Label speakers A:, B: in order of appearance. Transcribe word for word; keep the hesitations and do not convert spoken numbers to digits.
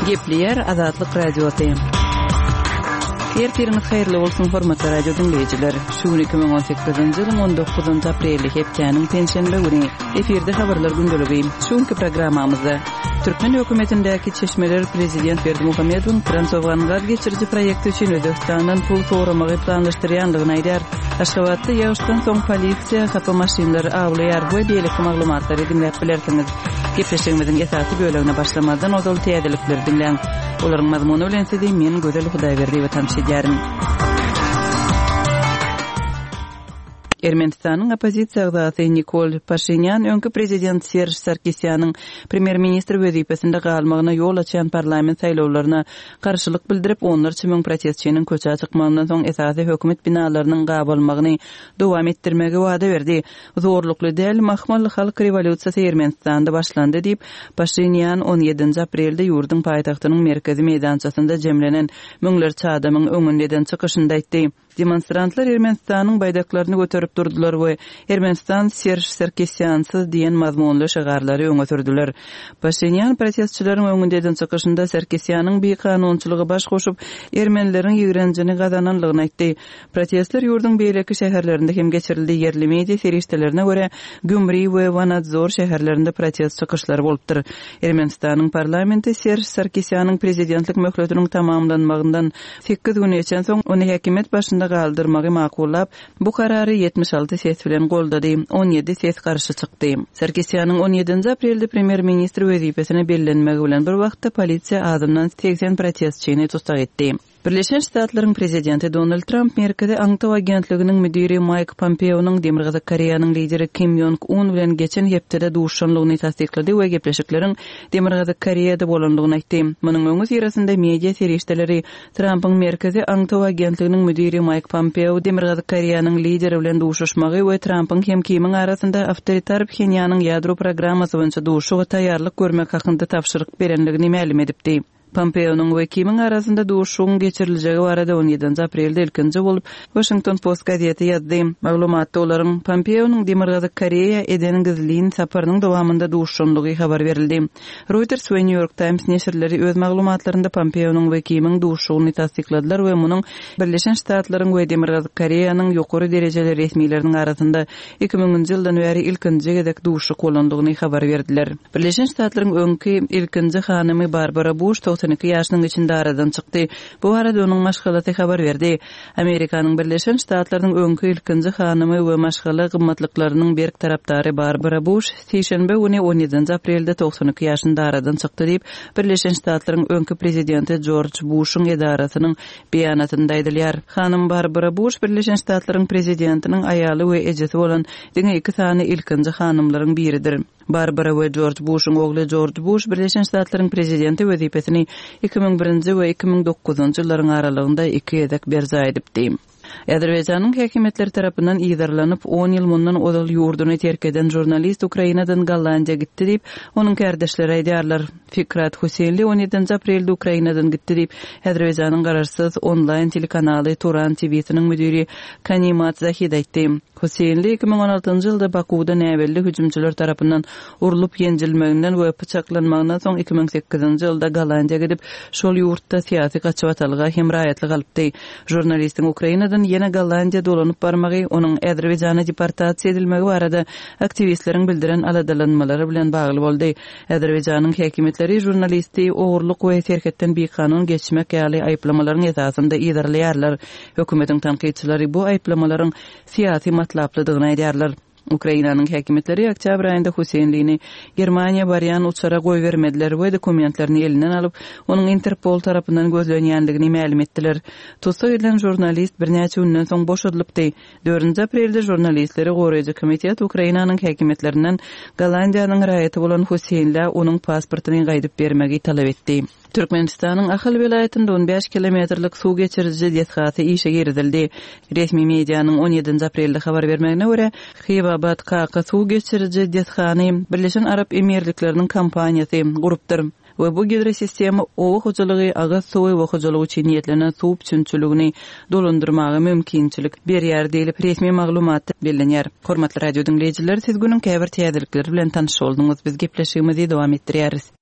A: Gepleýär Azatlyk Radiosy. Ertiriňiz haýyrly bolsun, hormatly radio diňleýjiler. Şu gün iki müň on sekizinji ýylyň on dokuzynjy apreli, hepdäniň penşenbe güni. Efirde habarlar gündeligi. Şu günki programmamyzda türkmen hökümetindäki çeşmeler prezident Berdimuhamedowyň Transowgan gaz geçiriji proýekti üçin Özbegistandan pul soramagy planlaşdyrýandygyny aýdýar. Aşgabatda ýagyşdan soň polisiýa hapa maşynlary awlaýar we beýleki maglumatlary diňläp bilersiňiz. Gepleşigimiziň esasy bölegine başlamazdan ozal täzelikleri diňläň. Olaryň mazmuny bilen sizi men Gözel Hudaýberdiýewa tanyş edýärin. Ermenistanyň oppozisiýa agzasy Nikol Paşinýan öňki prezident Serž Sarkisýanyň premýer-ministr wezipesinde galmagyna ýol açýan parlament saýlawlaryna garşylyk bildirip, onlarça müň protestçiniň köçä çykmagyndan soň esasy hökümet binalarynyň gabalmagyny dowam etdirmegi wada berdi. Zorlukly däl mahmal halk rewolýusiýasy Ermenistanda başlandy diýip, Paşinýan on ýedinji aprelde ýurduň paýtagtynyň merkezi meýdançasynda jemlenen müňlerçe adamyň öňünde eden çykyşynda aýtdy. Demonstrantlar Ermenistanyň baýdaklaryny göterip durdular we Ermenistan Serž Sarkisýansyz diýen mazmunly şygarlary öňe sürdüler. Paşinýan protestçileriň öňünde eden çykyşynda Sarkisýanyň bikanunçylygy baş goşup, ermenileriň ýigrenjini gazananlygyny aýtdy. Protestler ýurduň beýleki şäherlerinde hem geçirildi. Ýerli media serişdelerine görä, Gümri we Wanadzor şäherlerinde protest çykyşlary bolupdyr. Ermenistanyň parlamenti Serž Sarkisýanyň prezidentlik möhletiniň tamamlanmagyndan sekiz gün geçen soň ony häkimiýet başynda galdyrmagy makullap, bu karary ýetmiş alty ses bilen goldady, on ýedi ses garşy çykdy. Sarkisýanyň on ýedinji aprelde premýer-ministr wezipesine bellenmegi bilen bir wagtda polisiýa azyndan segsen protestçini tussag etdi. Birleşen Ştatlaryň prezidenti Donald Tramp Merkezi Aňtaw agentliginiň müdiri Maýk Pompeonyň Demirgazyk Koreýanyň lideri Kim Ýong Un bilen geçen hepdede duşanlygyny tassyklady we gepleşikleriň Demirgazyk Koreýada bolanlygyny aýtdy. Munuň öňi syrasynda media serişdeleri Trampyň Merkezi Aňtaw agentliginiň müdiri Maýk Pompeo Demirgazyk Koreýanyň lideri bilen duşuşmagy we Trampyň hem Kimiň arasynda awtoritar Phenýanyň ýadro programmasy boýunça duşuşyga taýýarlyk görmek hakynda tabşyryk berenligini mälim edipdi. Pompeo'nyň we Kimiň arasynda duşuşygyň geçiriljegi barada on ýedinji aprelde ilkinji bolup Washington Post gazeti ýazdy. Maglumatda olaryň Pompeo'nyň Demirgazyk Koreýa eden gizlin saparynyň dowamynda duşuşanlygy habar berildi. Reuters we New York Times neşirleri öz maglumatlarynda Pompeo'nyň we Kimiň duşuşygyny tassykladylar we munuň Birleşen Ştatlaryň we Demirgazyk Koreýanyň ýokary derejeli resmileriniň arasynda iki müňünji ýyldan bäri ilkinji gezek duşuşyk bolandygyny habar berdiler. Birleşen Ştatlaryň öňki ilkinji hanymy Barbara Bush togsan iki ýaşynyň içinde aradan çykdy. Bu arada onuň maşgalasy habar berdi. Amerikanyň Birleşen Ştatlarynyň öňki ilkinji hanymy we maşgala gymmatlyklarynyň berk tarapdary Barbara Bush sişenbe güni on ýedinji aprelde togsan iki ýaşynda aradan çykdy diýip, Birleşen Ştatlaryň öňki prezidenti George Bushyň edarasynyň beýanatynda aýdylýar. Hanym Barbara Bush Birleşen Ştatlaryň prezidentiniň aýaly we ejesi bolan diňe iki sany ilkinji hanymlaryň biridir. Barbara we George Bushyň ogly George Bush Birleşen Ştatlaryň prezidenti wezipesini iki müň birinji we iki müň dokuzynjy ýyllaryň aralygynda iki gezek berjaý edipdi. Azerbaýjanyň häkimiýetleri tarapyndan yzarlanyp, on ýyl mundan ozal ýurduny terk eden žurnalist Ukrainadan Gollandiýa gitdi diýip, onuň kärdeşleri aýdýarlar. Fikrat Huseýnli on ýedinji aprelde Ukrainadan gitdi diýip, Azerbaýjanyň garaşsyz onlaýn telekanaly Turan T V-siniň müdiri Kanimat Zahid aýtdy. Huseýnli iki müň on altynjy ýylda Bakuwda näbelli hüjümçiler tarapyndan urlup ýenjilmeginden we pyçaklanmagyndan soň iki müň sekizinji ýylda Gollandiýa gidip, şol ýurtda syýasy gaçybatalga hem raýatlyk alypdy. Žurnalistiň Ukrainadan ýene Gollandiýa dolanyp barmagy, onuň Azerbaýjana deportasiýa edilmegi barada aktiwistleriň bildiren aladalanmalary bilen bagly boldy. Azerbaýjanyň häkimiýetleri žurnalisti ogurlyk we serhetden bikanun geçmek ýaly aýyplamalaryň esasynda yzarlaýarlar. Hökümetiň tankytçylary bu aýyplamalaryň syýasy matlaplydygyny aýdýarlar. Ukrainanyň häkimiýetleri oktýabr aýynda Huseýnlini Germaniýa barýan uçara goýbermediler we dokumentlerini elinden alyp, onuň Interpol tarapyndan gözlenýändigini mälim etdiler. Tussag edilen žurnalist birnäçe günden soň boşadylypdy. Dördünji aprelde žurnalistleri goraýjy komitet Ukrainanyň häkimiýetlerinden Gollandiýanyň raýaty bolan Huseýnlä onuň pasportyny gaýdyp bermegi talap etdi. Türkmenistanyň Ahal welaýatynda on bäş kilometrlik suw geçiriji desgasy işe girizildi. Resmi medianyň on ýedinji aprelde habar bermegine görä, Hywabat Kaka suw geçiriji desgany Birleşen Arap Emirlikleriniň kompaniýasy gurupdyr. We bu gidrosistema oba hojalygy, agyz suwy we hojalyk üçin niýetlenen suw üpjünçiligini dolandyrmaga mümkinçilik berýär diýlip resmi maglumatda bellenýär. Hormatly radio diňleýjiler, siz günüň käbir täzelikleri bilen tanyş bolduňyz. Biz gepleşigimizi dowam etdirýäris.